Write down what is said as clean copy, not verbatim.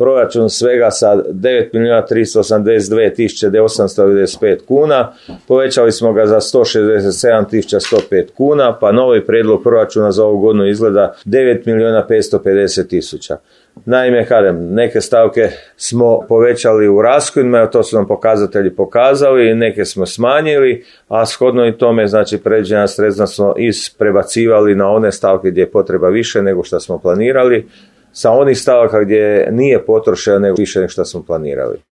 proračun svega sa 9.382.895 kuna, povećali smo ga za 167.105 kuna, pa novi prijedlog proračuna za ovu godinu izgleda 9.550.000. Naime, neke stavke smo povećali u rashodima, to su nam pokazatelji pokazali, neke smo smanjili, a shodno i tome, znači predviđena sredstva smo prebacivali na one stavke gdje je potreba više nego što smo planirali, sa onih stavaka gdje nije potrošeno nego više nego što smo planirali.